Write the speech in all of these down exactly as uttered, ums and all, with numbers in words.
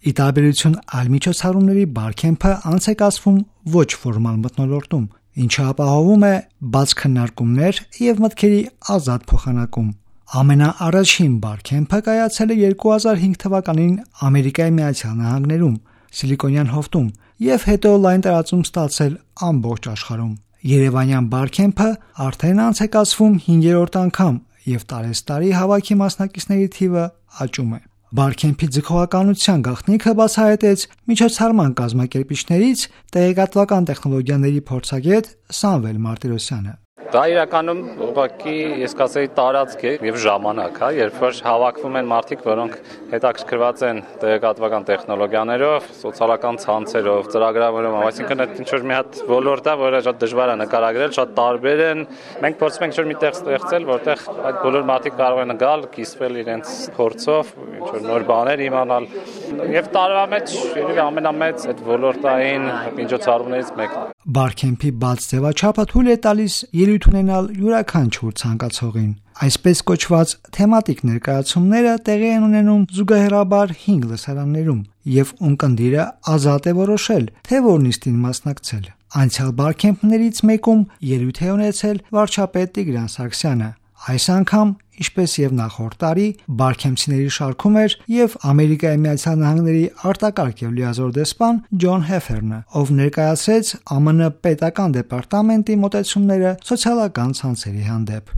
Ի տարբերություն այլ միջոցառումների Բարքեմփը անց է կացվում ոչ ֆորմալ մթնոլորտում, ինչը ապահովում է բաց քննարկումներ և մտքերի ազատ փոխանակում։ Ամենաառաջին Բարքեմփը կայացել է երկու հազար հինգ թվականին Ամերիկայի Միացյալ Նահանգներում, Սիլիկոնյան հովտում և հետո լայն տարածում ստացել ամբողջ աշխարհում։ Երևանյան Բարքեմփը արդեն անց է կացվում հինգերորդ անգամ և տարեցտարի հավաքի մասնակիցների թիվը աճում է։ Բարքեմփի ձգողականության գաղտնիքը բացահայտեց միջոցառման կազմակերպիչներից տեղեկատվական տեխնոլոգիաների փորձագետ Սամվել Մարտիրոսյանը։ Դա իրականում ուղղակի ես կասեի տարածք է եւ ժամանակ, հա, երբ որ հավաքվում են մարդիկ, որոնք հետաքրքրված են տեղեկատվական տեխնոլոգիաներով, սոցիալական ցանցերով, ծրագրավորումով, այսինքն այդ ինչ որ մի հատ ոլորտ է, որը շատ դժվար է նկարագրել, շատ տարբեր են։ Մենք փորձում ենք ինչ որ միտեղ ստեղծել, որտեղ այդ բոլոր մարդիկ կարող են գալ, կիսվել իրենց փորձով, ինչ որ նոր բաներ իմանալ։ Եվ տարվա մեջ երևի ամենամեծ այդ ոլորտային միջոցառումներից մեկն է։ Բարքեմփի բաց ձևաչափը թույլ է տալիս ելույթ ունենալ յուրաքանչյուր ցանկացողին։ Այսպես կոչված թեմատիկ ներկայացումները տեղի են ունենում զուգահեռաբար հինգ լսարաններում, և ունկնդիրը ազատ է որոշել, թե որ նիստին մասնակցել։ Անցյալ Բարքեմփներից մեկում ելույթ է ունեցել վարչապետ Տիգրան Սարգսյանը։ Այս անգամ, ինչպես և նախորդ տարի, բարքեմփցիների շարքում էր և Ամերիկայի Միացյալ Նահանգների արտակարգ և լիազոր դեսպան Ջոն Հեֆերնը, ով ներկայացրեց ԱՄՆ պետական դեպարտամենտի մոտեցումները սոցիալական ցանցերի հանդեպ։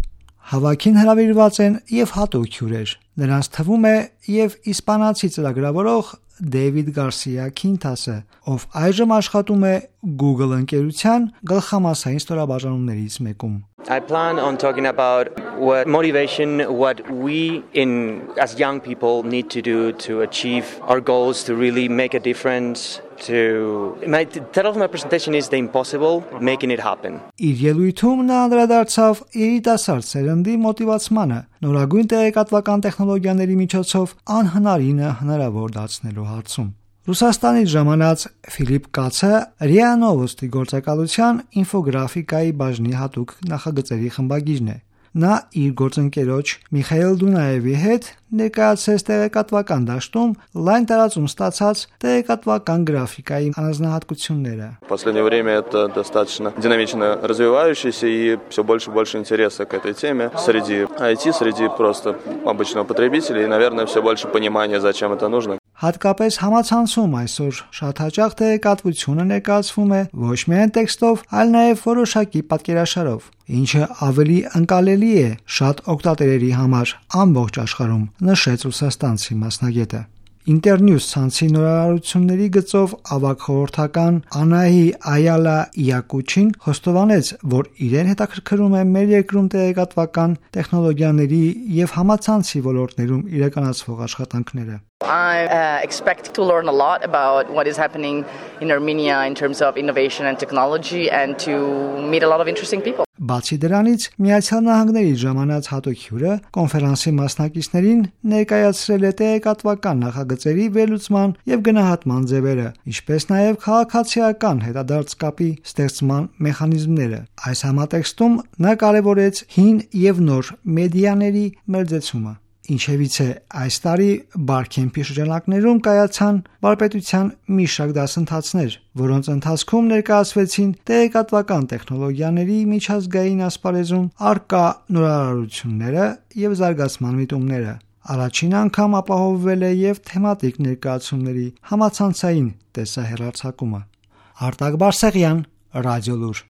Հավաքին հրավիրված են և հատուկ հյուրեր։ Նրանց թվում է և իսպանացի ծրագրավորող Դեյվիդ Գարսիա Քինթասը, ով այժմ աշխատում է Google ընկերության գլխամասային ստորաբաժանումներից մեկում։ I plan on talking about what motivation, what we in as young people need to do to achieve our goals, to really make a difference. To my title of my presentation is The Impossible, Making It Happen. Իր ելույթում նա անդրադարձավ երիտասարդ սերնդի մոտիվացմանը, նորագույն տեղեկատվական տեխնոլոգիաների միջոցով անհնարինը հնարավոր դարձնելու հարցում։ Ռուսաստանից ժամանած Ֆիլիպ Կացը րիա Նովոստի գործակալության ինֆոգրաֆիկայի բաժնի հատուկ նախագծերի խմբագիրն է։ Նա իր գործընկերոջ Միխայել Դունաևի հետ ներկայացրեց տեղեկատվական դաշտում լայն տարածում ստացած տեղեկատվական գրաֆիկայի առանձնահատկությունները։ В последнее время это достаточно динамично развивающийся и все больше и больше интереса к этой теме среди ай ти, среди просто обычного потребителя и, наверное, все больше понимания, зачем это нужно. Հատկապես համացանցում այսօր շատ հաճախ տեղեկատվությունը ներկայացվում է ոչ միայն տեքստով, այլ նաև որոշակի պատկերաշարով, ինչը ավելի ընկալելի է շատ օգտատերերի համար ամբողջ աշխարհում, նշեց ռուսաստանցի մասնագետը։ Internews ցանցի նորարարությունների գծով ավագ խորհրդական Անահի Այալա Յակուչին խոստովանեց, որ իրեն հետաքրքրում է մեր երկրում տեղեկատվական տեխնոլոգիաների և համացանցի ոլորտներում իրականացվող աշխատանքները։ I uh, expect to learn a lot about what is happening in Armenia in terms of innovation and technology and to meet a lot of interesting people. Բացի դրանից, Միացյալ Նահանգների ժամանած հատուկ հյուրը կոնֆերանսի մասնակիցներին ներկայացրել է տեղեկատվական նախագծերի վերլուծման և գնահատման ձևերը, ինչպես նաև քաղաքացիական հետադարձ կապի ստեղծման մեխանիզմները։ Այս համատեքստում նա կարևորեց հին և նոր մեդիաների մերձեցումը։ Ինչևից է այս տարի Բարքեմփի շրջանակներում կայացան վարպետության մի շարք դասընթացներ, որոնց ընթացքում ներկայացվեցին տեղեկատվական տեխնոլոգիաների միջազգային ասպարեզում առկա նորարարությունները և զարգացման միտումները։ Առաջին անգամ ապահովվել է և թեմատիկ ներկայացումների համացանցային տեսահեռարձակումը։ Արտակ Բարսեղյան, Ռադիոլուր։